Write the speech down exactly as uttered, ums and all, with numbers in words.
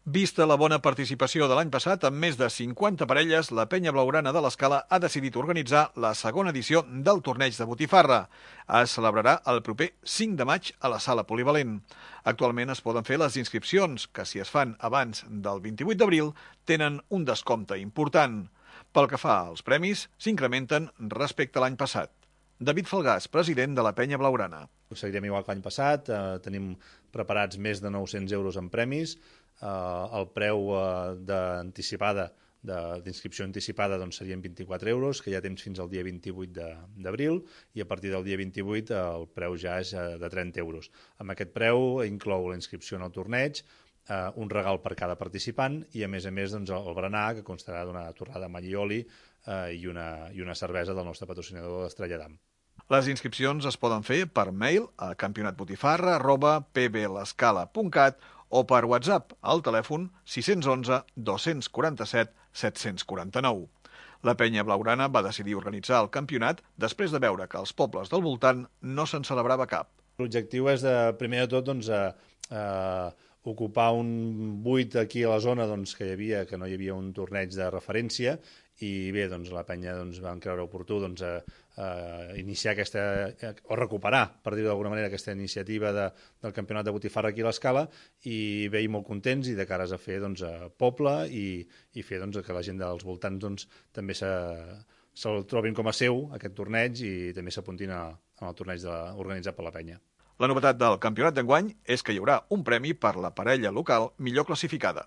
Vista la bona participació de l'any passat, amb més de cinquanta parelles, la penya blaugrana de l'Escala ha decidit organitzar la segona edició del torneig de botifarra. Es celebrarà el proper cinc de maig a la sala polivalent. Actualment es poden fer les inscripcions, que si es fan abans del vint-i-vuit d'abril tenen un descompte important. Pel que fa als premis, s'incrementen respecte a l'any passat. David Falgàs, president de la penya blaugrana. Seguirem igual que l'any passat, eh, tenim preparats més de nou-cents euros en premis. Eh, el preu eh, d'anticipada, d'inscripció anticipada doncs, serien vint-i-quatre euros, que hi ha temps fins al dia vint-i-vuit d'abril, i a partir del dia vint-i-vuit el preu ja és de trenta euros. Amb aquest preu inclou la inscripció en el torneig, eh, un regal per cada participant i, a més a més, doncs, el berenar, que constarà d'una torrada amb all i oli eh, i, una, i una cervesa del nostre patrocinador d'Estrella d'Am. Les inscripcions es poden fer per mail a campionatbotifarra arroba p b l'escala punt cat o per WhatsApp al telèfon sis u un dos quatre set set quatre nou. La penya blaugrana va decidir organitzar el campionat després de veure que als pobles del voltant no se'n celebrava cap. L'objectiu és, de, primer de tot, doncs, a, a ocupar un buit aquí a la zona doncs, que hi havia, que no hi havia un torneig de referència, i bé, doncs, la penya doncs, vam creure oportú doncs, a, a iniciar aquesta, o recuperar, per dir-ho d'alguna manera, aquesta iniciativa de, del campionat de botifarra aquí a l'Escala, i veiem molt contents i de cares a fer doncs, a poble i, i fer doncs, que la gent dels voltants doncs, també se, se'l trobin com a seu, aquest torneig, i també s'apuntin al torneig de, organitzat per la penya. La novetat del campionat d'enguany és que hi haurà un premi per la parella local millor classificada.